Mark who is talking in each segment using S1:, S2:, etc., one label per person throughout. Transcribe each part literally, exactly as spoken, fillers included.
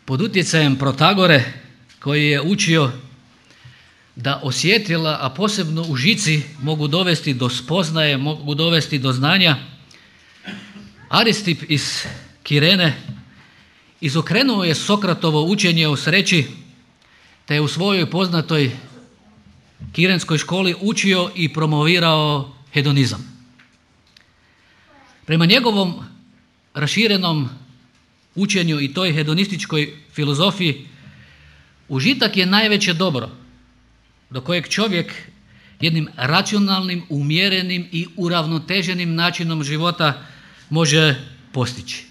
S1: pod utjecajem Protagore koji je učio da osjetila, a posebno u žici, mogu dovesti do spoznaje, mogu dovesti do znanja, Aristip iz Kirene izokrenuo je Sokratovo učenje o sreći te je u svojoj poznatoj kirenskoj školi učio i promovirao hedonizam. Prema njegovom raširenom učenju i toj hedonističkoj filozofiji, užitak je najveće dobro do kojeg čovjek jednim racionalnim, umjerenim i uravnoteženim načinom života može postići.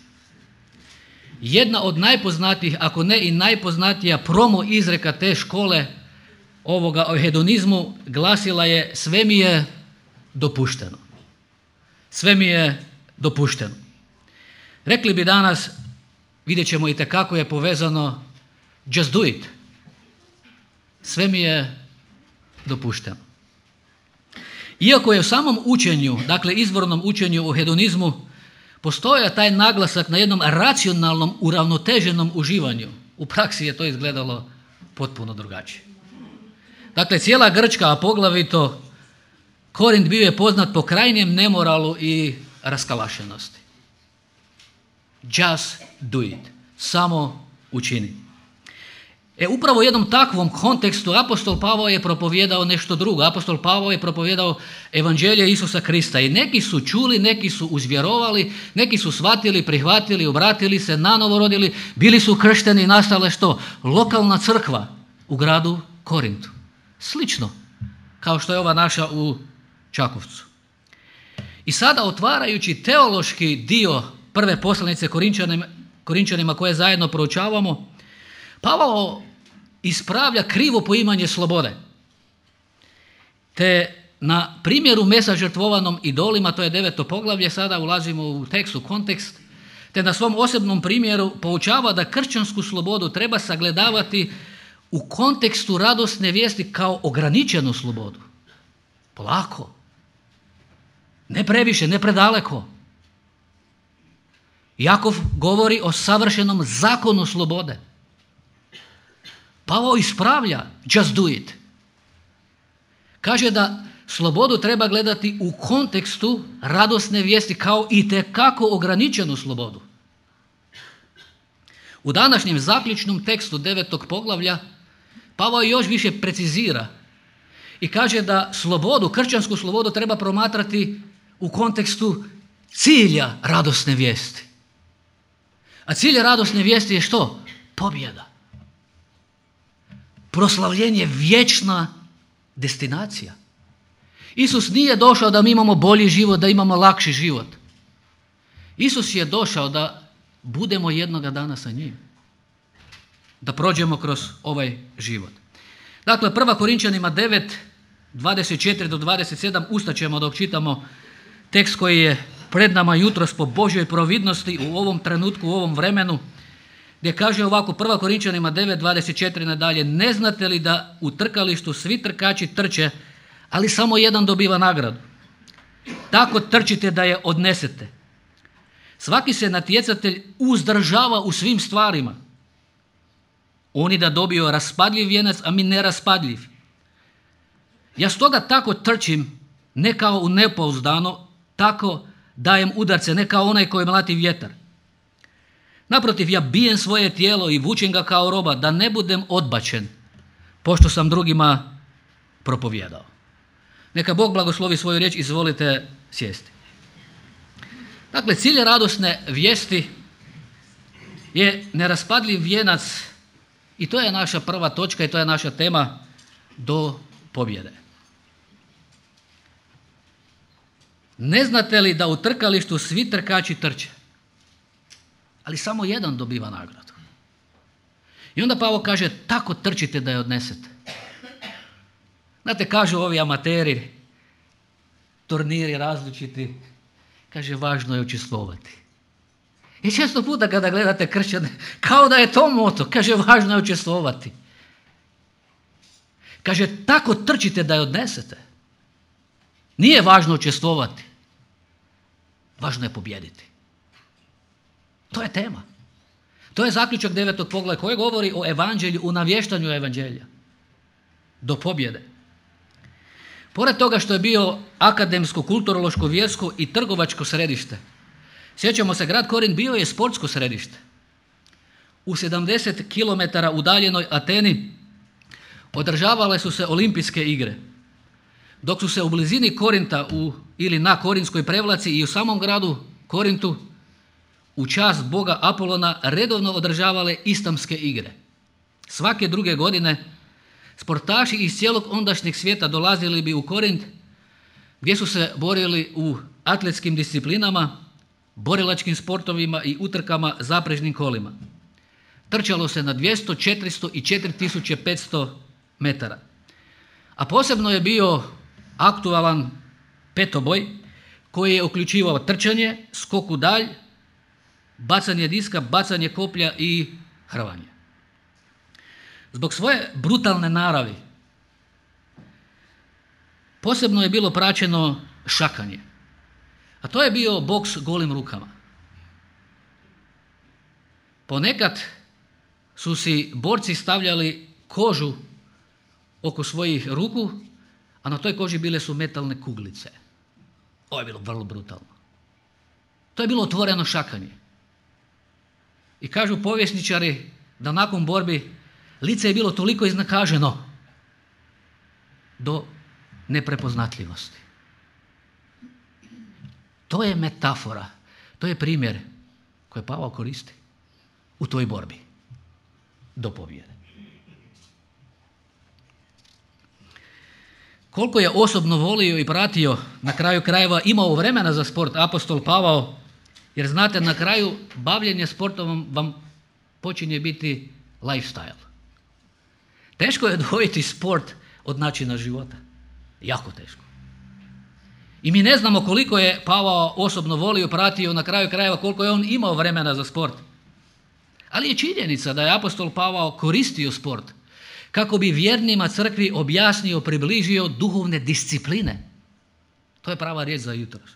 S1: Jedna od najpoznatijih, ako ne i najpoznatija promo izreka te škole ovoga o hedonizmu glasila je: sve mi je dopušteno. Sve mi je dopušteno. Rekli bi danas, vidjet ćemo i tekako je povezano, just do it. Sve mi je dopušteno. Iako je u samom učenju, dakle izvornom učenju o hedonizmu, postojao taj naglasak na jednom racionalnom, uravnoteženom uživanju, u praksi je to izgledalo potpuno drugačije. Dakle, cijela Grčka, a poglavito Korint, bio je poznat po krajnjem nemoralu i raskalašenosti. Just do it. Samo učini. E upravo u jednom takvom kontekstu apostol Pavao je propovijedao nešto drugo. Apostol Pavao je propovijedao evanđelje Isusa Krista i neki su čuli, neki su uzvjerovali, neki su shvatili, prihvatili, obratili se, nanovo rodili, bili su kršteni i nastala što? Lokalna crkva u gradu Korintu. Slično kao što je ova naša u Čakovcu. I sada otvarajući teološki dio prve poslanice Korinčanima, Korinčanima koje zajedno proučavamo, Pavao ispravlja krivo poimanje slobode. Te na primjeru mesa žrtvovanom idolima, to je deveto poglavlje, sada ulazimo u tekst, u kontekst, te na svom osobnom primjeru poučava da kršćansku slobodu treba sagledavati u kontekstu radosne vijesti kao ograničenu slobodu. Polako. Ne previše, ne predaleko. Jakov govori o savršenom zakonu slobode. Pavao ispravlja just do it. Kaže da slobodu treba gledati u kontekstu radosne vijesti kao itekako ograničenu slobodu. U današnjem zaključnom tekstu devetog poglavlja Pavao još više precizira i kaže da slobodu, kršćansku slobodu treba promatrati u kontekstu cilja radosne vijesti. A cilj radosne vijesti je što? Pobjeda. Proslavljenje, vječna destinacija. Isus nije došao da mi imamo bolji život, da imamo lakši život. Isus je došao da budemo jednoga dana sa njim. Da prođemo kroz ovaj život. Dakle, prva Korinčanima devet, dvadeset četiri do dvadeset sedam, ustaćemo dok čitamo tekst koji je pred nama jutros po Božjoj providnosti u ovom trenutku, u ovom vremenu, gdje kaže ovako, prva Korinčanima devet, dvadeset četiri nadalje: ne znate li da u trkalištu svi trkači trče, ali samo jedan dobiva nagradu? Tako trčite da je odnesete. Svaki se natjecatelj uzdržava u svim stvarima. Oni da dobiju raspadljiv vijenac, a mi neraspadljiv. Ja stoga tako trčim, ne kao u nepouzdano, tako dajem udarce, ne kao onaj koji mlati vjetar. Naprotiv, ja bijem svoje tijelo i vučem ga kao roba, da ne budem odbačen, pošto sam drugima propovijedao. Neka Bog blagoslovi svoju riječ, izvolite sjesti. Dakle, cilj radosne vijesti je neraspadljiv vijenac i to je naša prva točka i to je naša tema do pobjede. Ne znate li da u trkalištu svi trkači trče, ali samo jedan dobiva nagradu? I onda Pavao kaže, tako trčite da je odnesete. Znate, kažu ovi amateri, turniri različiti, kaže, važno je učestvovati. I često puta kada gledate kršćane, kao da je to moto, kaže, važno je učestvovati. Kaže, tako trčite da je odnesete. Nije važno učestvovati, važno je pobijediti. To je tema. To je zaključak devetog poglavlja koji govori o evanđelju, o navještanju evanđelja. Do pobjede. Pored toga što je bio akademsko, kulturološko, vjersko i trgovačko središte, sjećamo se, grad Korint bio je sportsko središte. U sedamdeset kilometara udaljenoj Ateni održavale su se olimpijske igre, dok su se u blizini Korinta u, ili na Korinskoj prevlaci i u samom gradu Korintu u čast boga Apolona redovno održavale istamske igre. Svake druge godine sportaši iz cijelog ondašnjeg svijeta dolazili bi u Korint gdje su se borili u atletskim disciplinama, borilačkim sportovima i utrkama zaprežnim kolima. Trčalo se na dvjesto, četiristo i četiri tisuće petsto metara. A posebno je bio aktualan petoboj koji je uključivao trčanje, skok u dalj, bacanje diska, bacanje koplja i hrvanje. Zbog svoje brutalne naravi posebno je bilo praćeno šakanje. A to je bio boks golim rukama. Ponekad su si borci stavljali kožu oko svojih ruku, a na toj koži bile su metalne kuglice. Ovo je bilo vrlo brutalno. To je bilo otvoreno šakanje. I kažu povjesničari da nakon borbi lice je bilo toliko iznakaženo do neprepoznatljivosti. To je metafora, to je primjer koji Pavao koristi u toj borbi do pobjede. Koliko je osobno volio i pratio, na kraju krajeva imao vremena za sport apostol Pavao, jer znate, na kraju bavljenje sportom vam počinje biti lifestyle. Teško je odvojiti sport od načina života. Jako teško. I mi ne znamo koliko je Pavao osobno volio, pratio, na kraju krajeva koliko je on imao vremena za sport. Ali je činjenica da je apostol Pavao koristio sport kako bi vjernima crkvi objasnio, približio duhovne discipline. To je prava riječ za jutros.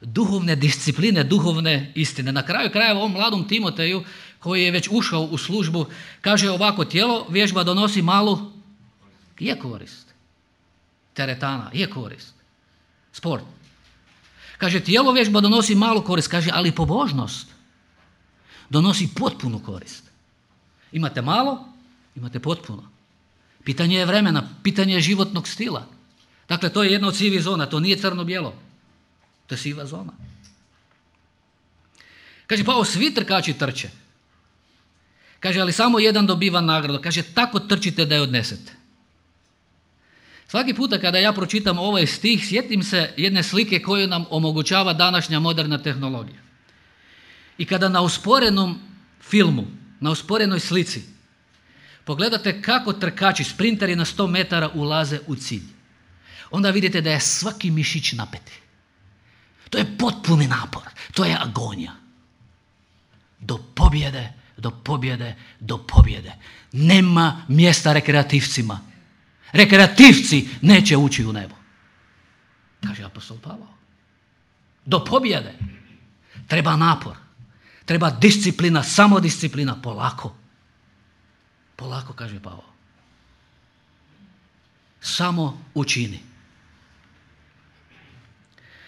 S1: Duhovne discipline, duhovne istine. Na kraju krajeva ovom mladom Timoteju koji je već ušao u službu kaže ovako: tijelo vježba donosi malu, je korist. Teretana, je korist. Sport. Kaže, tijelo vježba donosi malu korist, kaže, ali pobožnost donosi potpunu korist. Imate malo, imate potpuno. Pitanje je vremena, pitanje je životnog stila. Dakle, to je jedna od sivih zona, to nije crno-bijelo. To je siva zona. Kaže, pa o svi trkači trče. Kaže, ali samo jedan dobiva nagradu. Kaže, tako trčite da je odnesete. Svaki puta kada ja pročitam ovaj stih, sjetim se jedne slike koju nam omogućava današnja moderna tehnologija. I kada na usporenom filmu, na usporenoj slici, pogledate kako trkači, sprinteri na sto metara ulaze u cilj, onda vidite da je svaki mišić napeti. To je potpuni napor, to je agonija. Do pobjede, do pobjede, do pobjede. Nema mjesta rekreativcima. Rekreativci neće ući u nebo. Kaže apostol Pavao. Do pobjede treba napor, treba disciplina, samodisciplina, polako. Polako, kaže Pavao. Samo učini.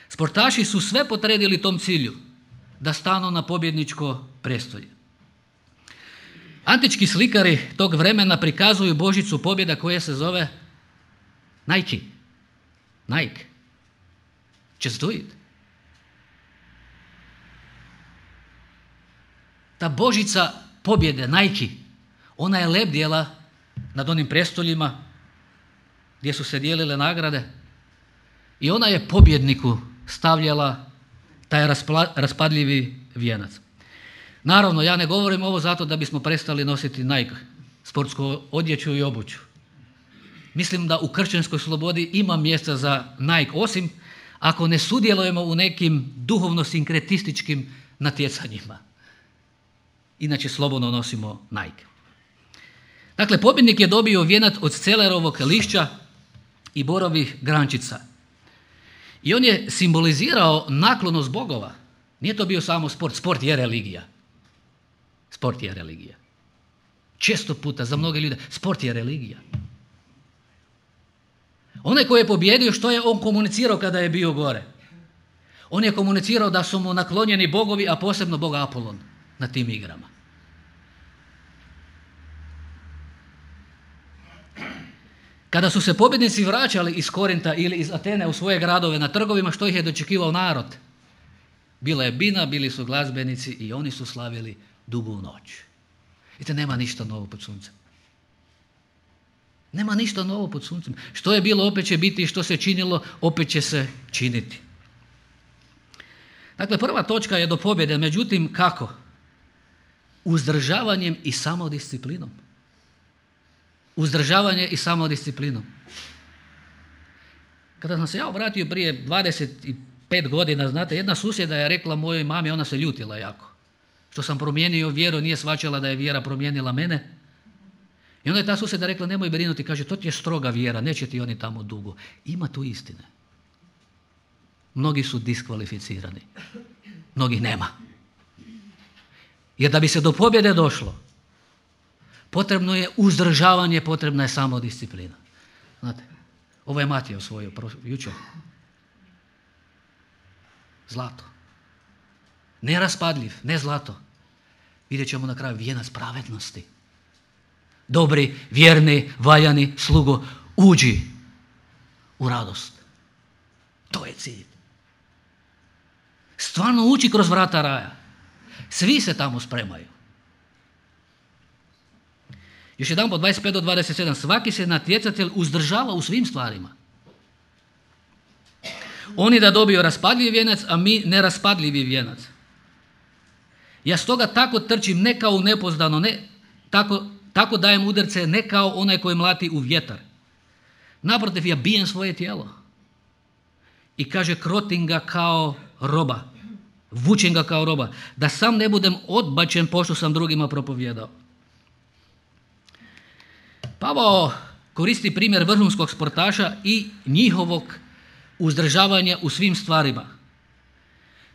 S1: Sportaši su sve potredili tom cilju, da stanu na pobjedničko prestolje. Antički slikari tog vremena prikazuju božicu pobjeda koja se zove Nike. Nike. Just do it. Ta božica pobjede, Nike, ona je lebdjela nad onim prestoljima gdje su se dijelile nagrade i ona je pobjedniku stavljala taj raspla, raspadljivi vijenac. Naravno, ja ne govorim ovo zato da bismo prestali nositi Nike, sportsku odjeću i obuću. Mislim da u kršćanskoj slobodi ima mjesta za Nike, osim ako ne sudjelujemo u nekim duhovno-sinkretističkim natjecanjima. Inače slobodno nosimo Nike. Dakle, pobjednik je dobio vijenac od celerovog lišća i borovih grančica. I on je simbolizirao naklonost bogova. Nije to bio samo sport, sport je religija. Sport je religija. Često puta za mnoge ljude sport je religija. Onaj koji je pobjedio, što je on komunicirao kada je bio gore? On je komunicirao da su mu naklonjeni bogovi, a posebno bog Apolon na tim igrama. Kada su se pobjednici vraćali iz Korinta ili iz Atene u svoje gradove na trgovima, što ih je dočekivao narod? Bila je bina, bili su glazbenici i oni su slavili dugu noć. Vidite, nema ništa novo pod suncem. Nema ništa novo pod suncem. Što je bilo, opet će biti, i što se činilo, opet će se činiti. Dakle, prva točka je do pobjede, međutim, kako? Uzdržavanjem i samodisciplinom. Uzdržavanje i samodisciplinom. Kada sam se ja obratio prije dvadeset pet godina, znate, jedna susjeda je rekla mojoj mami, ona se ljutila jako. Što sam promijenio vjeru, nije shvaćala da je vjera promijenila mene. I onda je ta susjeda rekla, nemoj brinuti, kaže, to ti je stroga vjera, neće ti oni tamo dugo. Ima tu istine. Mnogi su diskvalificirani. Mnogih nema. Jer da bi se do pobjede došlo, potrebno je uzdržavanje, potrebna je samodisciplina. Znate, ovo je Matija osvojio jučer. Zlato. Neraspadljiv, ne zlato. Vidjet ćemo na kraju vijenac pravednosti. Dobri, vjerni, valjani slugo, uđi u radost. To je cilj. Stvarno ući kroz vrata raja. Svi se tamo spremaju. Još jedan po dvadeset pet do dvadeset sedam. Svaki se natjecatelj uzdržava u svim stvarima. Oni da dobiju raspadljiv vijenac, a mi neraspadljivi vijenac. Ja stoga tako trčim, ne kao nepoznano, ne, tako, tako dajem udarce, ne kao onaj koji mlati u vjetar. Naprotiv, ja bijem svoje tijelo. I kaže, krotim ga kao roba. Vučem ga kao roba. Da sam ne budem odbačen, pošto sam drugima propovijedao. Pavao koristi primjer vrhunskog sportaša i njihovog uzdržavanja u svim stvarima.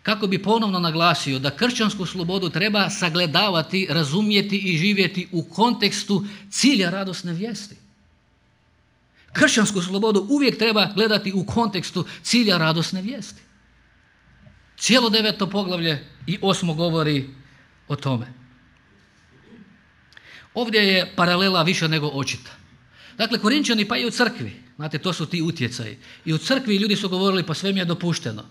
S1: Kako bi ponovno naglasio da kršćansku slobodu treba sagledavati, razumjeti i živjeti u kontekstu cilja radosne vijesti. Kršćansku slobodu uvijek treba gledati u kontekstu cilja radosne vijesti. Cijelo deveto poglavlje i osmo govori o tome. Ovdje je paralela više nego očita. Dakle, Korinčani pa i u crkvi, znate, to su ti utjecaji. I u crkvi ljudi su govorili, pa sve mi je dopušteno.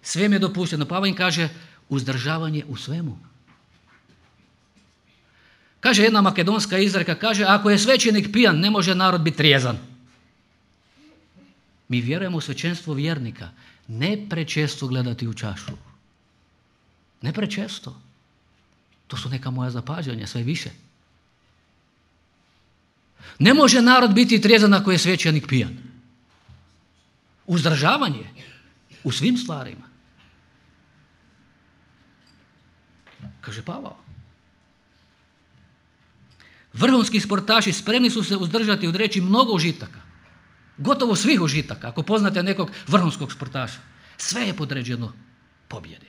S1: Sve mi je dopušteno. Pavao im kaže, uzdržavanje u svemu. Kaže jedna makedonska izreka, kaže, ako je svećenik pijan, ne može narod biti trijezan. Mi vjerujemo u svećenstvo vjernika. Ne prečesto gledati u čašu. Ne prečesto. To su neka moja zapažanja, sve više. Ne može narod biti trijezan ako je svećenik pijan. Uzdržavanje u svim stvarima. Kaže Pavao. Vrhunski sportaši spremni su se uzdržati od reći mnogo užitaka. Gotovo svih užitaka. Ako poznate nekog vrhunskog sportaša, sve je podređeno pobjedi.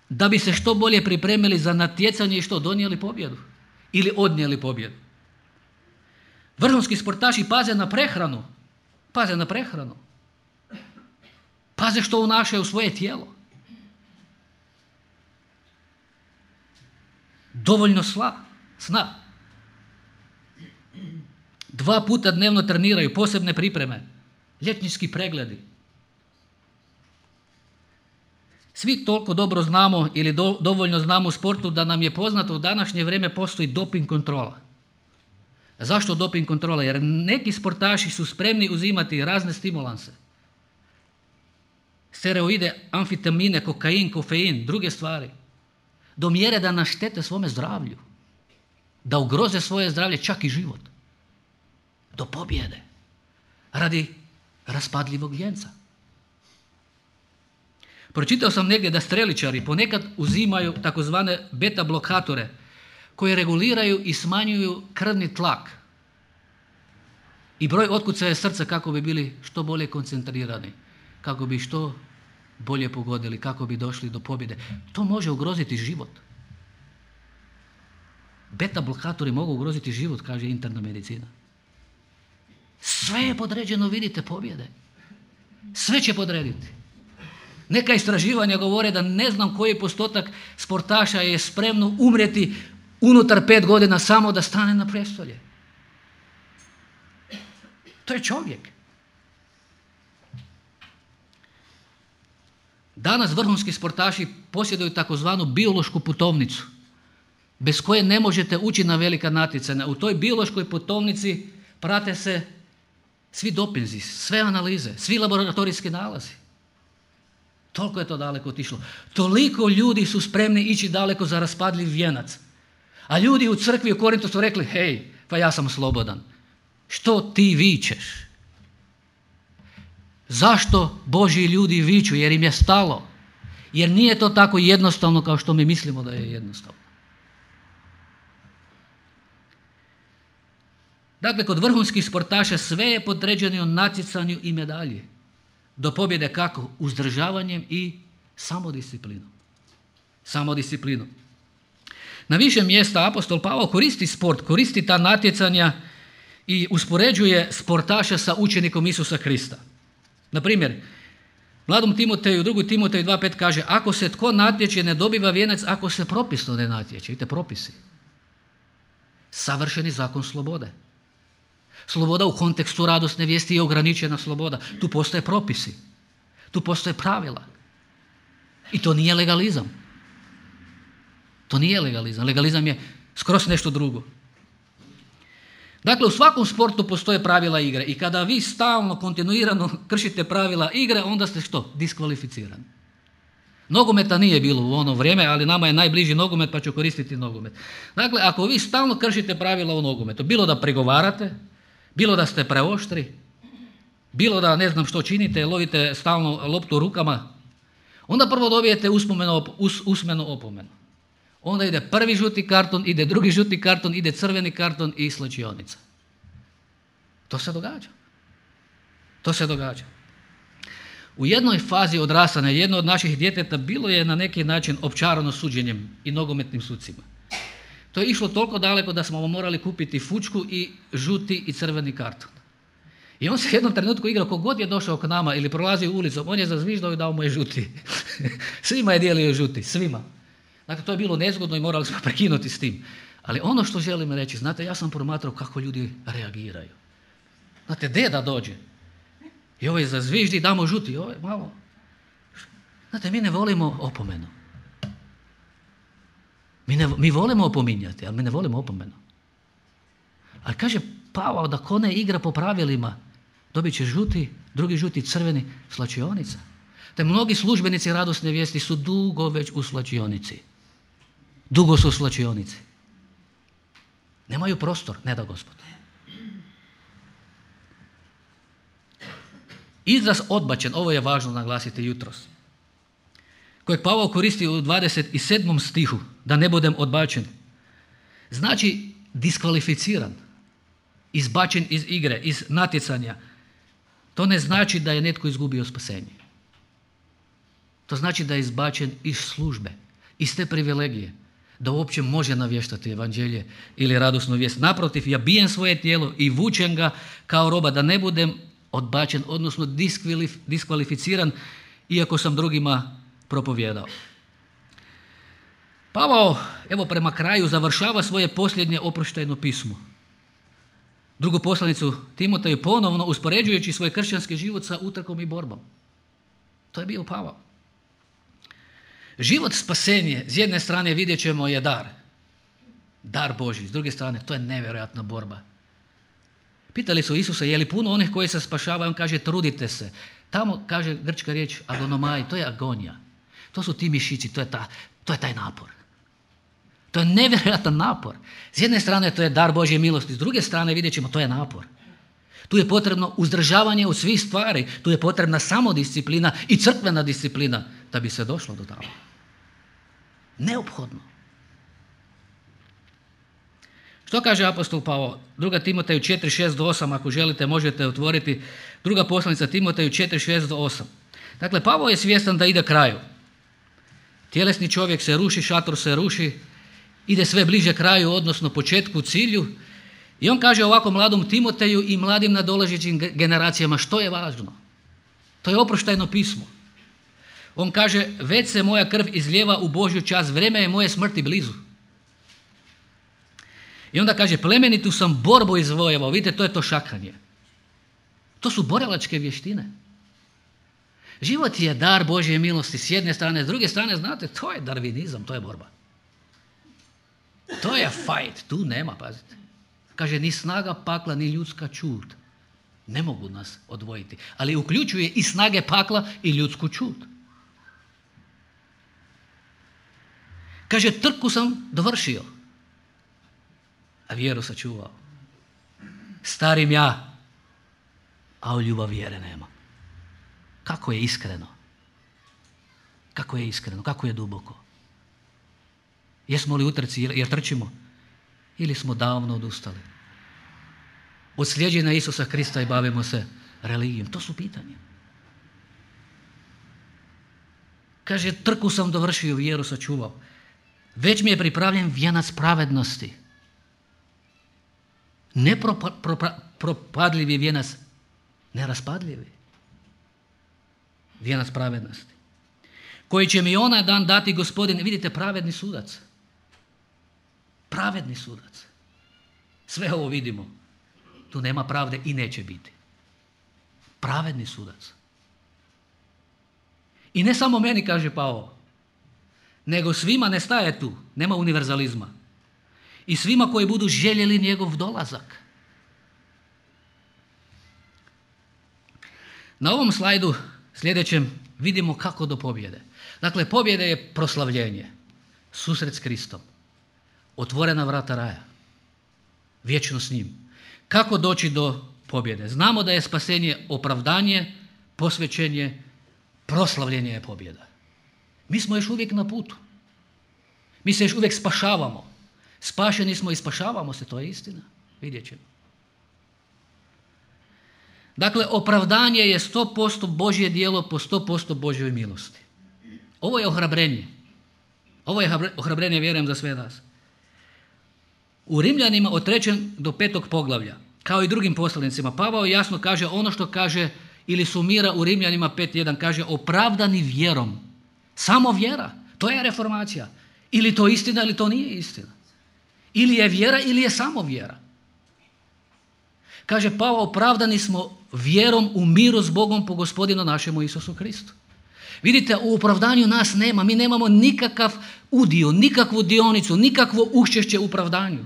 S1: Da bi se što bolje pripremili za natjecanje i što donijeli pobjedu ili odnijeli pobjedu. Vrhunski sportaši paze na prehranu. Paze na prehranu. Paze što unašaju u svoje tijelo. Dovoljno sla, sna. Dva puta dnevno treniraju, posebne pripreme, liječnički pregledi. Svi toliko dobro znamo ili do, dovoljno znamo u sportu da nam je poznato u današnje vrijeme postoji doping kontrola. Zašto doping kontrola? Jer neki sportaši su spremni uzimati razne stimulanse. Steroide, amfetamine, kokain, kofein, druge stvari. Do mjere da naštete svome zdravlju. Da ugroze svoje zdravlje, čak i život. Do pobjede. Radi raspadljivog vijenca. Pročitao sam negdje da streličari ponekad uzimaju takozvane beta blokatore koji reguliraju i smanjuju krvni tlak i broj otkucaja srca kako bi bili što bolje koncentrirani, kako bi što bolje pogodili, kako bi došli do pobjede. To može ugroziti život. Beta blokatori mogu ugroziti život, kaže interna medicina. Sve je podređeno, vidite, pobjede. Sve će podrediti. Neka istraživanja govore da ne znam koji postotak sportaša je spremno umrijeti unutar pet godina samo da stane na prestolje. To je čovjek. Danas vrhunski sportaši posjeduju takozvanu biološku putovnicu, bez koje ne možete ući na velika natjecanja. U toj biološkoj putovnici prate se svi dopinzi, sve analize, svi laboratorijski nalazi. Toliko je to daleko otišlo. Toliko ljudi su spremni ići daleko za raspadljiv vijenac. A ljudi u crkvi u Korintu su rekli, hej, pa ja sam slobodan. Što ti vičeš? Zašto Božji ljudi viču? Jer im je stalo. Jer nije to tako jednostavno kao što mi mislimo da je jednostavno. Dakle, kod vrhunskih sportaša sve je podređeno natjecanju i medalji. Do pobjede kako? Uzdržavanjem i samodisciplinom. Samodisciplinom. Na više mjesta apostol Pavao koristi sport, koristi ta natjecanja i uspoređuje sportaša sa učenikom Isusa Krista. Na primjer, mladom Timoteju, drugi Timoteju dva pet kaže, ako se tko natječe ne dobiva vijenac, ako se propisno ne natječe. Vidite, propisi. Savršeni zakon slobode. Sloboda u kontekstu radosne vijesti je ograničena sloboda. Tu postoje propisi. Tu postoje pravila. I to nije legalizam. To nije legalizam. Legalizam je skroz nešto drugo. Dakle, u svakom sportu postoje pravila igre. I kada vi stalno, kontinuirano kršite pravila igre, onda ste što? Diskvalificirani. Nogometa nije bilo u ono vrijeme, ali nama je najbliži nogomet pa ću koristiti nogomet. Dakle, ako vi stalno kršite pravila u nogometu, bilo da pregovarate, bilo da ste preoštri, bilo da ne znam što činite, lovite stalno loptu rukama, onda prvo dobijete usmenu, us, usmenu opomenu. Onda ide prvi žuti karton, ide drugi žuti karton, ide crveni karton i slačionica. To se događa. To se događa. U jednoj fazi odrastanja jedno od naših djeteta bilo je na neki način opčarano suđenjem i nogometnim sucima. To je išlo toliko daleko da smo morali kupiti fučku i žuti i crveni karton. I on se u jednom trenutku igrao, kogod je došao k nama ili prolazio ulicom, on je zazviždao i dao mu je žuti. Svima je dijelio žuti, svima. Dakle, to je bilo nezgodno i morali smo prekinuti s tim. Ali ono što želim reći, znate, ja sam promatrao kako ljudi reagiraju. Znate, deda dođe i ovaj zazviždi, damo žuti, ovaj malo. Znate, mi ne volimo opomenu. Mi, ne, mi volimo opominjati, ali mi ne volimo opomenu. Ali kaže Pavao da ko ne igra po pravilima, dobit će žuti, drugi žuti, crveni, slačionica. Te mnogi službenici radosne vijesti su dugo već u slačionici. Dugo su u slačionici. Nemaju prostor, ne da Gospod. Izraz odbačen, ovo je važno naglasiti jutros, kojeg Pavao koristi u dvadeset sedmom stihu, da ne budem odbačen, znači diskvalificiran, izbačen iz igre, iz natjecanja. To ne znači da je netko izgubio spasenje. To znači da je izbačen iz službe, iz te privilegije, da uopće može navještati evanđelje ili radosnu vijest. Naprotiv, ja bijem svoje tijelo i vučem ga kao roba, da ne budem odbačen, odnosno diskvalificiran, iako sam drugima propovijedao. Pavao, evo prema kraju, završava svoje posljednje oproštajno pismo. Drugu poslanicu Timoteju ponovno uspoređujući svoj kršćanski život sa utrkom i borbom. To je bio Pavao. Život spasenje, s jedne strane vidjet ćemo, je dar. Dar Božji. S druge strane, to je nevjerojatna borba. Pitali su Isusa, je li puno onih koji se spašavaju? On kaže, trudite se. Tamo, kaže grčka riječ, agonomai, to je agonija. To su ti mišići, to je, ta, to je taj napor. To je nevjerojatan napor. S jedne strane, to je dar Božje milosti. S druge strane, vidjet ćemo, to je napor. Tu je potrebno uzdržavanje od svih stvari. Tu je potrebna samodisciplina i crkvena disciplina da bi se došlo do tamo. Neophodno. Što kaže apostol Pavao? Druga Timoteju četiri šest do osam, ako želite možete otvoriti. Druga poslanica Timoteju četiri šest do osam. Dakle, Pavao je svjestan da ide kraju. Tjelesni čovjek se ruši, šator se ruši, ide sve bliže kraju, odnosno početku, cilju. I on kaže ovako mladom Timoteju i mladim nadolazećim generacijama što je važno. To je oproštajno pismo. On kaže, već se moja krv izlijeva u Božju čast, vrijeme je moje smrti blizu. I onda kaže, plemenitu sam borbu izvojevao. Vidite, to je to šakanje. To su borilačke vještine. Život je dar Božje milosti s jedne strane, s druge strane, znate, to je darvinizam, to je borba. To je fight, tu nema, pazite. Kaže, ni snaga pakla, ni ljudska čud ne mogu nas odvojiti, ali uključuje i snage pakla i ljudsku čud. Kaže, trku sam dovršio, a vjeru sačuvao. Starim ja, a u ljubav vjere nema. Kako je iskreno? Kako je iskreno? Kako je duboko? Jesmo li u trci jer trčimo? Ili smo davno odustali? Od slijeđenja Isusa Krista i bavimo se religijom? To su pitanja. Kaže, trku sam dovršio, vjeru sačuvao. Već mi je pripravljen vijenac pravednosti. Ne propa, propa, propadljivi vijenac, neraspadljivi. Vijenac pravednosti. Koji će mi onaj dan dati Gospodin, vidite, pravedni sudac. Pravedni sudac. Sve ovo vidimo. Tu nema pravde i neće biti. Pravedni sudac. I ne samo meni, kaže Pavao, nego svima, ne staje tu, nema univerzalizma. I svima koji budu željeli njegov dolazak. Na ovom slajdu sljedećem vidimo kako do pobjede. Dakle, pobjede je proslavljenje, susret s Kristom, otvorena vrata raja, vječno s njim. Kako doći do pobjede? Znamo da je spasenje opravdanje, posvećenje, proslavljenje je pobjeda. Mi smo još uvijek na putu. Mi se još uvijek spašavamo. Spašeni smo i spašavamo se, to je istina. Vidjet ćemo. Dakle, opravdanje je sto posto Božje djelo po sto posto Božjoj milosti. Ovo je ohrabrenje. Ovo je ohrabrenje, vjerujem, za sve nas. U Rimljanima od trećeg do petog poglavlja, kao i drugim poslanicima, Pavao jasno kaže ono što kaže ili sumira u Rimljanima pet jedan, kaže opravdani vjerom. Samo vjera. To je reformacija. Ili to istina ili to nije istina. Ili je vjera ili je samo vjera. Kaže Pavao, opravdani smo vjerom u miru s Bogom po Gospodinu našemu Isusu Kristu. Vidite, u opravdanju nas nema. Mi nemamo nikakav udio, nikakvu dionicu, nikakvo učešće u opravdanju.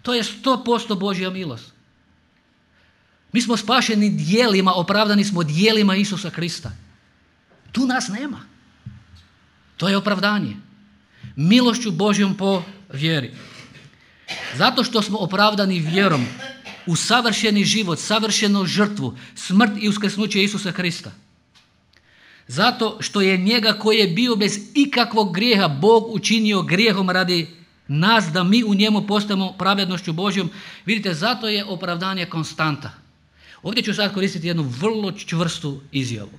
S1: To je sto posto Božja milost. Mi smo spašeni djelima, opravdani smo djelima Isusa Krista. Tu nas nema. To je opravdanje. Milošću Božjom po vjeri. Zato što smo opravdani vjerom u savršeni život, savršenu žrtvu, smrt i uskrsnuće Isusa Krista. Zato što je njega koji je bio bez ikakvog grijeha Bog učinio grijehom radi nas da mi u njemu postajemo pravednošću Božjom. Vidite, zato je opravdanje konstanta. Ovdje ću sad koristiti jednu vrlo čvrstu izjavu.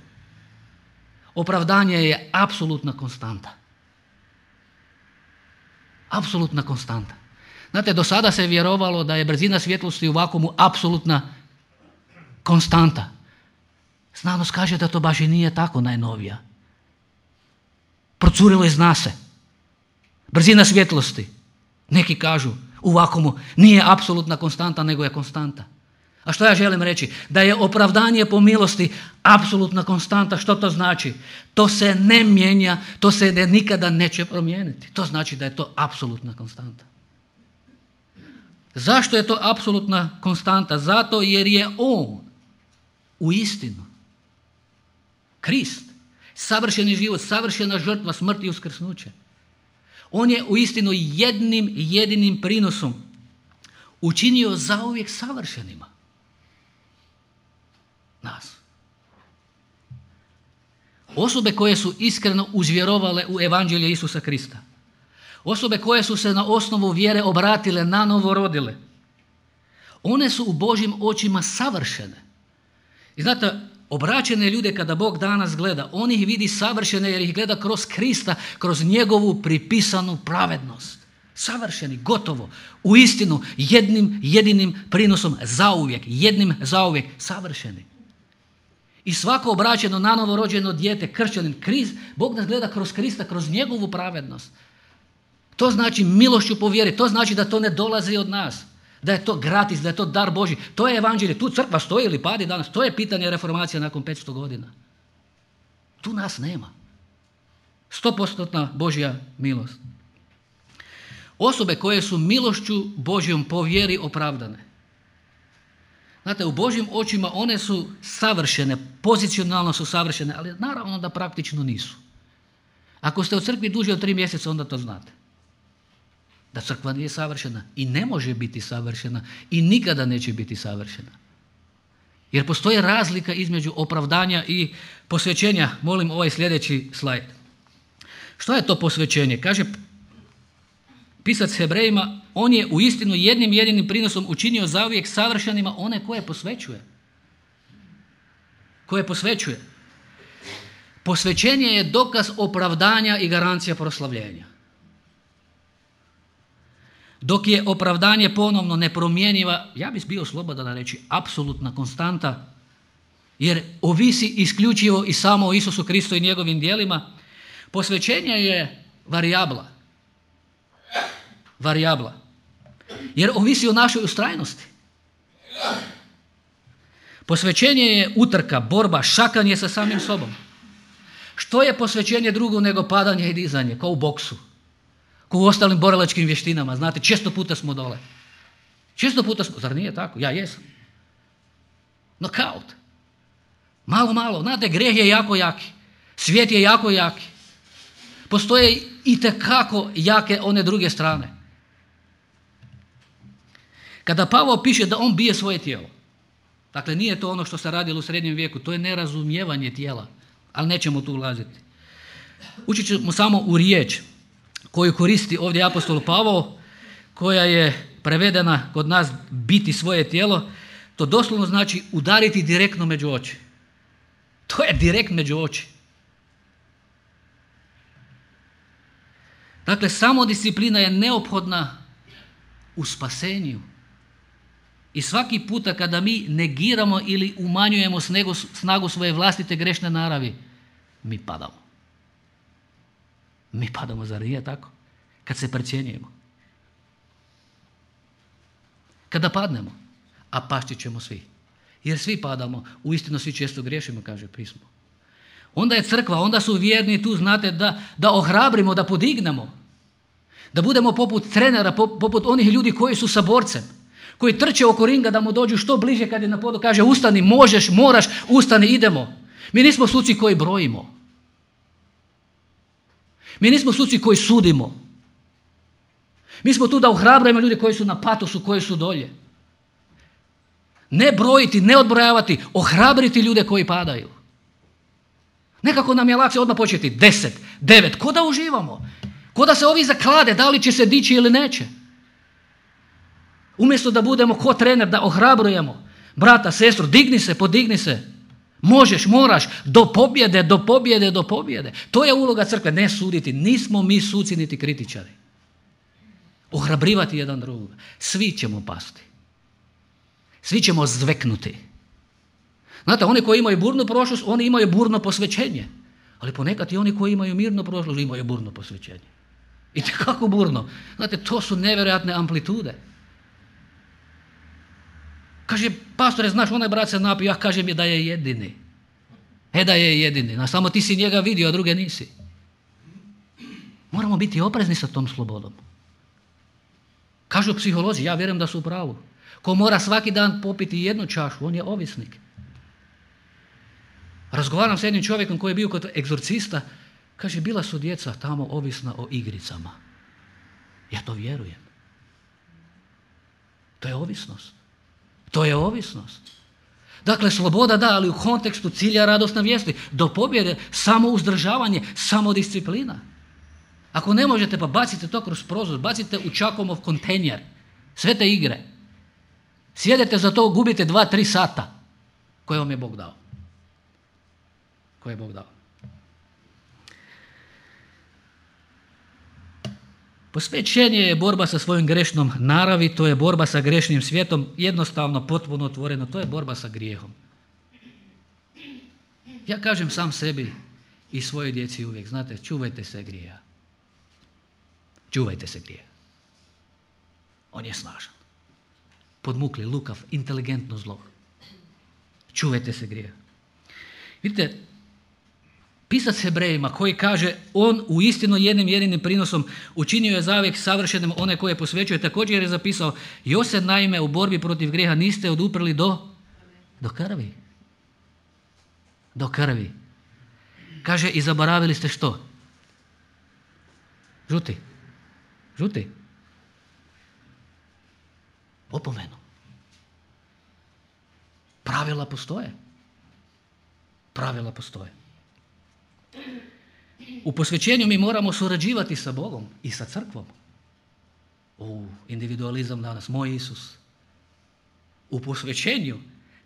S1: Opravdanje je apsolutna konstanta. Apsolutna konstanta. Znate, do sada se vjerovalo da je brzina svjetlosti u vakuumu apsolutna konstanta. Znanost kaže da to baš i nije tako najnovija. Procurilo iz nas se. Brzina svjetlosti, neki kažu, u vakuumu nije apsolutna konstanta, nego je konstanta. A što ja želim reći? Da je opravdanje po milosti apsolutna konstanta. Što to znači? To se ne mijenja, to se ne, nikada neće promijeniti. To znači da je to apsolutna konstanta. Zašto je to apsolutna konstanta? Zato jer je on u istinu Krist, savršeni život, savršena žrtva, smrt i uskrsnuće. On je u istinu jednim jedinim prinosom učinio zauvijek savršenima nas. Osobe koje su iskreno uzvjerovale u evanđelje Isusa Krista. Osobe koje su se na osnovu vjere obratile, nanovo rodile. One su u Božjim očima savršene. I znate, Obraćene ljude kada Bog danas gleda, on ih vidi savršene jer ih gleda kroz Krista, kroz njegovu pripisanu pravednost. Savršeni, gotovo, u istinu, jednim jedinim prinosom zauvijek, jednim zauvijek, savršeni. I svako obraćeno nanovo rođeno dijete, kršćanin, Krist, Bog nas gleda kroz Krista, kroz njegovu pravednost. To znači milošću po vjeri, to znači da to ne dolazi od nas, da je to gratis, da je to dar Božji. To je evanđelje, tu crkva stoji ili padi danas, to je pitanje reformacije nakon petsto godina. Tu nas nema. Stopostotna Božja milost. Osobe koje su milošću Božjom po vjeri opravdane. Znate, u Božjim očima one su savršene, pozicionalno su savršene, ali naravno da praktično nisu. Ako ste u crkvi duže od tri mjeseca, onda to znate. Da crkva nije savršena i ne može biti savršena i nikada neće biti savršena. Jer postoji razlika između opravdanja i posvećenja. Molim ovaj sljedeći slajd. Što je to posvećenje? Kaže pisac Hebrejima, on je u istinu jednim jedinim prinosom učinio zauvijek savršenima one koje posvećuje. Koje posvećuje. Posvećenje je dokaz opravdanja i garancija proslavljenja. Dok je opravdanje ponovno nepromjenjiva, ja bih bio slobodan reći, apsolutna konstanta, jer ovisi isključivo i samo o Isusu Kristu i njegovim djelima, posvećenje je varijabla. Varijabla. Jer ovisi o našoj ustrajnosti. Posvećenje je utrka, borba, šakanje sa samim sobom. Što je posvećenje drugo nego padanje i dizanje, kao u boksu, kao u ostalim borilačkim vještinama. Znate, često puta smo dole. Često puta smo, zar nije tako? Ja jesam. Nokaut. Malo, malo. Znate, grijeh je jako jaki. Svijet je jako jaki. Postoje itekako jake one druge strane. Kada Pavao piše da on bije svoje tijelo, dakle nije to ono što se radilo u srednjem vijeku, to je nerazumijevanje tijela, ali nećemo tu ulaziti. Učit ćemo samo u riječ koju koristi ovdje apostol Pavao, koja je prevedena kod nas biti svoje tijelo, to doslovno znači udariti direktno među oči. To je direkt među oči. Dakle, samodisciplina je neophodna u spasenju. I svaki puta kada mi negiramo ili umanjujemo snagu svoje vlastite grešne naravi, mi padamo. Mi padamo, zar nije tako? Kad se precjenjujemo. Kada padnemo, a pašći ćemo svi. Jer svi padamo, uistinu svi često griješimo, kaže pismo. Onda je crkva, onda su vjerni tu, znate, da, da ohrabrimo, da podignemo. Da budemo poput trenera, poput onih ljudi koji su sa borcem, koji trče oko ringa da mu dođu što bliže kad je na podu, kaže ustani, možeš, moraš, ustani, idemo. Mi nismo suci koji brojimo. Mi nismo suci koji sudimo. Mi smo tu da ohrabrujemo ljude koji su na patosu, koji su dolje. Ne brojiti, ne odbrojavati, ohrabriti ljude koji padaju. Nekako nam je lakše odmah početi deset, devet, ko da uživamo. Ko da se ovi zaklade, da li će se dići ili neće. Umjesto da budemo ko trener, da ohrabrujemo brata, sestru, digni se, podigni se. Možeš, moraš, do pobjede, do pobjede, do pobjede. To je uloga crkve, ne suditi. Nismo mi suci niti kritičari. Ohrabrivati jedan drugog. Svi ćemo pasti. Svi ćemo zveknuti. Znate, oni koji imaju burnu prošlost, oni imaju burno posvećenje. Ali ponekad i oni koji imaju mirnu prošlost imaju burno posvećenje. I kako burno. Znate, to su nevjerojatne amplitude. Kaže, pastore, znaš, onaj brat se napio, ja kažem je da je jedini. E da je jedini. No, samo ti si njega vidio, a druge nisi. Moramo biti oprezni sa tom slobodom. Kažu psiholozi, ja vjerujem da su u pravu. Ko mora svaki dan popiti jednu čašu, on je ovisnik. Razgovaram s jednim čovjekom koji je bio kod egzorcista, kaže, bila su djeca tamo ovisna o igricama. Ja to vjerujem. To je ovisnost. To je ovisnost. Dakle, sloboda da, ali u kontekstu cilja radosna vijesti. Do pobjede, samo uzdržavanje, samo disciplina. Ako ne možete, pa bacite to kroz prozor, bacite u Čakomov kontejner. Sve te igre. Sjedete za to, gubite dva, tri sata koje vam je Bog dao. koje je Bog dao. Posvećenje je borba sa svojom grešnom naravi, to je borba sa grešnim svijetom, jednostavno, potpuno otvoreno, to je borba sa grijehom. Ja kažem sam sebi i svojoj djeci uvijek, znate, čuvajte se grijeha. Čuvajte se grijeha. On je snažan. Podmukli, lukav, inteligentno zlo. Čuvajte se grijeha. Vidite, pisac Hebrejima koji kaže on u istinu jednim jedinim prinosom učinio je zavijek savršenim one koje posvećuje, također je zapisao još se naime u borbi protiv grijeha niste oduprli do, do krvi. Do krvi. Kaže i zaboravili ste što? Žuti. Žuti. Opomenu. Pravila postoje. Pravila postoje. U posvećenju mi moramo surađivati sa Bogom i sa crkvom. U individualizam danas, moj Isus. U posvećenju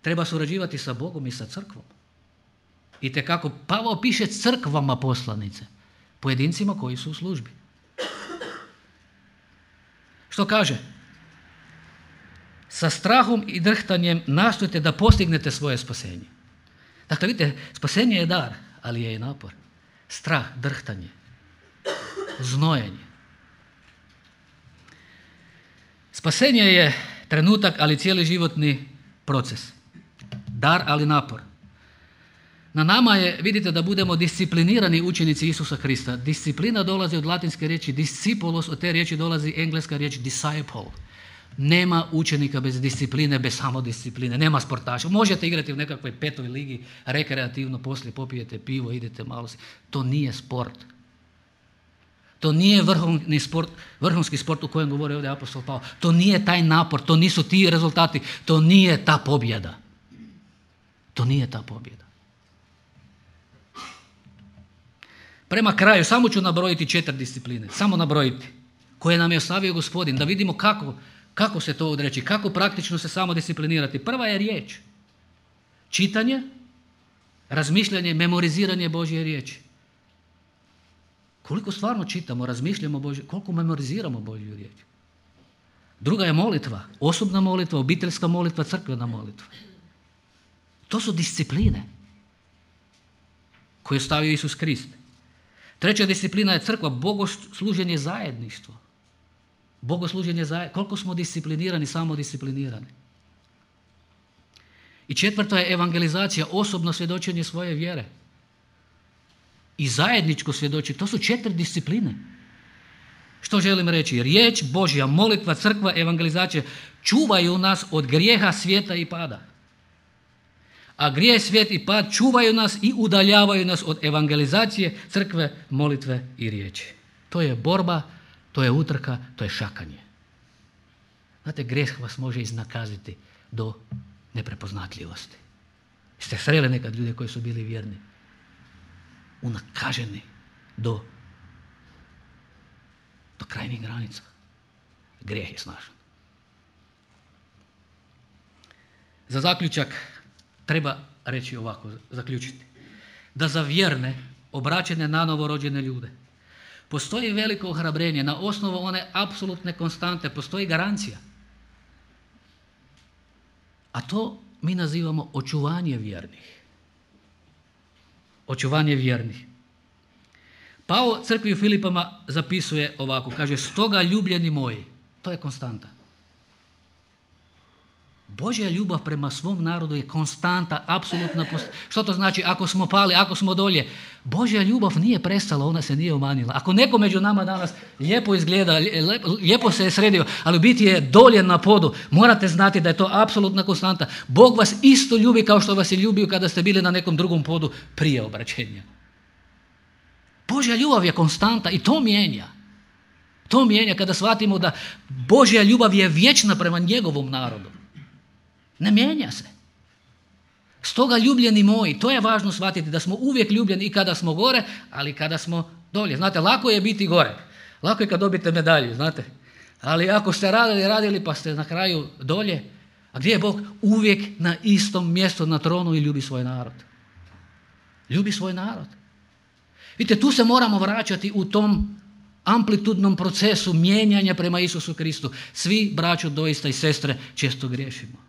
S1: treba surađivati sa Bogom i sa crkvom. I te kako Pavao piše crkvama poslanice, pojedincima koji su u službi. Što kaže? Sa strahom i drhtanjem nastojte da postignete svoje spasenje. Dakle, vidite, spasenje je dar, ali je i napor. Strah, drhtanje, znojenje. Spasenje je trenutak, ali cijeli životni proces. Dar, ali napor. Na nama je, vidite, da budemo disciplinirani učenici Isusa Krista. Disciplina dolazi od latinske riječi discipulos, od te riječi dolazi engleska riječ disciple. Nema učenika bez discipline, bez samodiscipline, nema sportaša. Možete igrati u nekakvoj petoj ligi, rekreativno, poslije popijete pivo, idete malo si. To nije sport. To nije vrhovni sport, vrhunski sport u kojem govori ovdje apostol Pavao. To nije taj napor, to nisu ti rezultati, to nije ta pobjeda. To nije ta pobjeda. Prema kraju, samo ću nabrojiti četiri discipline, samo nabrojiti, koje nam je ostavio Gospodin, da vidimo kako, kako se to odreći, kako praktično se samo disciplinirati. Prva je riječ. Čitanje, razmišljanje, memoriziranje Božje riječi. Koliko stvarno čitamo, razmišljamo Božje, koliko memoriziramo Božju riječ. Druga je molitva, osobna molitva, obiteljska molitva, crkvena molitva. To su discipline koje je stavio Isus Krist. Treća disciplina je crkva, bogosluženje zajedništvo. Bogosluženje zajedništvo. Koliko smo disciplinirani, samodisciplinirani. I četvrta je evangelizacija, osobno svjedočenje svoje vjere. I zajedničko svjedočenje. To su četiri discipline. Što želim reći? Riječ Božja, molitva, crkva, evangelizacija čuvaju nas od grijeha, svijeta i pada. A grijeh, svijet i pad čuvaju nas i udaljavaju nas od evangelizacije, crkve, molitve i riječi. To je borba, to je utrka, to je šakanje. Znate, grijeh vas može iznakaziti do neprepoznatljivosti. Ste sreli nekad ljude koji su bili vjerni? Unakaženi do, do krajnjih granica. Grijeh je snažan. Za zaključak treba reći ovako, zaključiti. Da za vjerne, obraćene na novorođene ljude postoji veliko ohrabrenje na osnovu one apsolutne konstante, postoji garancija. A to mi nazivamo očuvanje vjernih. Očuvanje vjernih. Pavao crkvi u Filipama zapisuje ovako, kaže, stoga ljubljeni moji, to je konstanta. Božja ljubav prema svom narodu je konstanta, apsolutna. Što to znači? Ako smo pali, ako smo dolje, Božja ljubav nije prestala, ona se nije umanjila. Ako neko među nama danas lijepo izgleda, lijepo se je sredio, ali u biti je dolje na podu, morate znati da je to apsolutna konstanta. Bog vas isto ljubi kao što vas je ljubio kada ste bili na nekom drugom podu prije obraćenja. Božja ljubav je konstanta i to mijenja. To mijenja kada shvatimo da Božja ljubav je vječna prema njegovom narodu. Ne mijenja se. Stoga ljubljeni moji, to je važno shvatiti, da smo uvijek ljubljeni i kada smo gore, ali i kada smo dolje. Znate, lako je biti gore. Lako je kad dobite medalju, znate. Ali ako ste radili, radili pa ste na kraju dolje, a gdje je Bog? Uvijek na istom mjestu na tronu i ljubi svoj narod. Ljubi svoj narod. Vidite, tu se moramo vraćati u tom amplitudnom procesu mijenjanja prema Isusu Kristu. Svi, braćo, doista i sestre, često griješimo.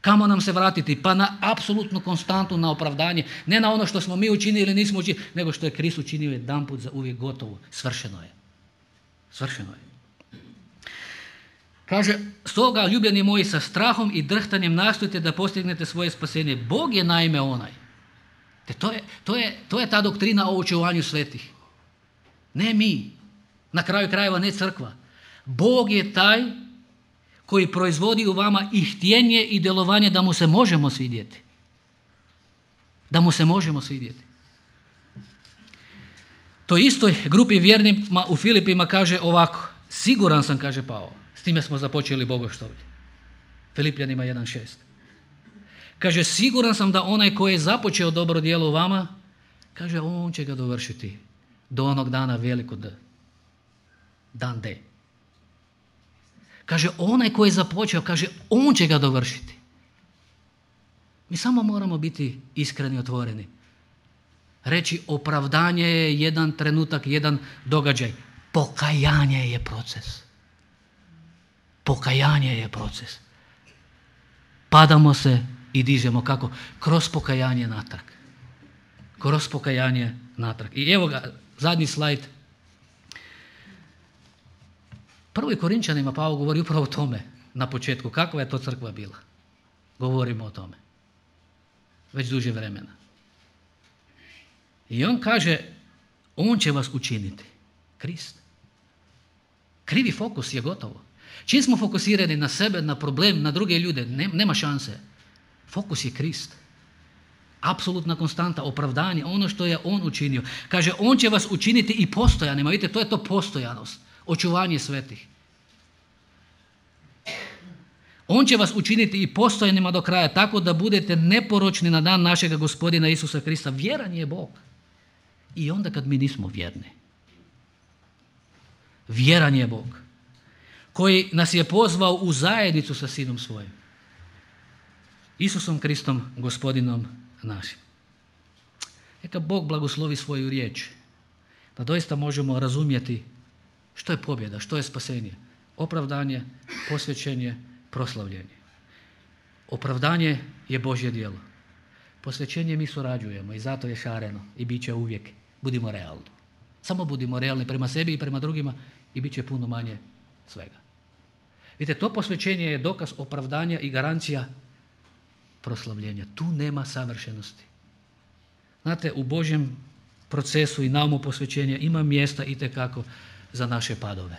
S1: Kamo nam se vratiti? Pa na apsolutnu konstantu, na opravdanje. Ne na ono što smo mi učinili ili nismo učinili, nego što je Krist učinio jedanput za uvijek gotovo. Svršeno je. Svršeno je. Kaže, stoga, ljubljeni moji, sa strahom i drhtanjem nastojite da postignete svoje spasenje. Bog je naime onaj. Te to, je, to, je, to je ta doktrina o očuvanju svetih. Ne mi. Na kraju krajeva ne crkva. Bog je taj koji proizvodi u vama i htjenje i djelovanje da mu se možemo svidjeti. Da mu se možemo svidjeti. To istoj grupi vjernima u Filipima kaže ovako. Siguran sam, kaže Pavao. S time smo započeli bogoštovlje. Filipljanima jedan šest. Kaže, siguran sam da onaj koji je započeo dobro djelo u vama, kaže, on će ga dovršiti do onog dana veliko D. Dan D. Kaže, onaj koji je započeo, kaže, on će ga dovršiti. Mi samo moramo biti iskreni i otvoreni. Reći, opravdanje je jedan trenutak, jedan događaj. Pokajanje je proces. Pokajanje je proces. Padamo se i dižemo kako? Kroz pokajanje natrag. Kroz pokajanje natrag. I evo ga, zadnji slajd. Prvoj Korinčanima Pavao govori upravo o tome na početku. Kakva je to crkva bila? Govorimo o tome. Već duže vremena. I on kaže, on će vas učiniti. Krist. Krivi fokus je gotovo. Čim smo fokusirani na sebe, na problem, na druge ljude, nema šanse. Fokus je Krist. Apsolutna konstanta, opravdanje, ono što je on učinio. Kaže, on će vas učiniti i postojanima. Vidite, to je to postojanost. Očuvanje svetih. On će vas učiniti i postojanima do kraja, tako da budete neporočni na dan našega Gospodina Isusa Krista. Vjeran je Bog. I onda kad mi nismo vjerni. Vjeran je Bog. Koji nas je pozvao u zajednicu sa Sinom svojim. Isusom Kristom, Gospodinom našim. Neka Bog blagoslovi svoju riječ. Da doista možemo razumjeti što je pobjeda, što je spasenje. Opravdanje, posvećenje, proslavljenje. Opravdanje je Božje djelo. Posvećenje mi surađujemo i zato je šareno i bit će uvijek. Budimo realni. Samo budimo realni prema sebi i prema drugima i bit će puno manje svega. Vidite, to posvećenje je dokaz opravdanja i garancija proslavljenja. Tu nema savršenosti. Znate, u Božjem procesu i naumu posvećenja ima mjesta itekako za naše padove.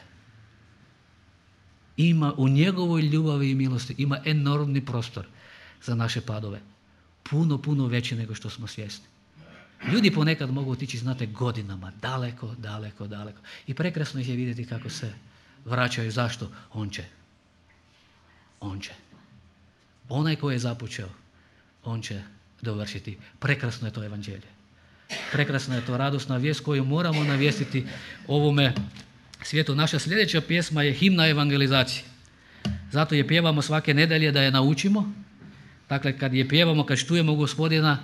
S1: Ima u njegovoj ljubavi i milosti, ima enormni prostor za naše padove. Puno, puno veći nego što smo svjesni. Ljudi ponekad mogu otići, znate, godinama, daleko, daleko, daleko. I prekrasno ih je vidjeti kako se vraćaju. Zašto? On će. On će. Onaj koji je započeo, on će dovršiti. Prekrasno je to evanđelje. Prekrasna je to radosna vijest koju moramo navijestiti ovome svijetu. Naša sljedeća pjesma je himna evangelizacije. Zato je pjevamo svake nedelje da je naučimo. Dakle, kad je pjevamo, kad štujemo Gospodina,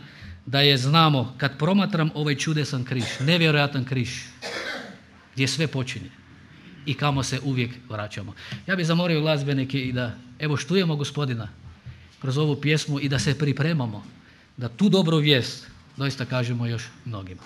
S1: da je znamo, kad promatram ovaj čudesan križ, nevjerojatan križ, gdje sve počinje i kamo se uvijek vraćamo. Ja bih zamolio glazbenike i da evo štujemo Gospodina kroz ovu pjesmu i da se pripremamo da tu dobru vijest doista kažemo još mnogima.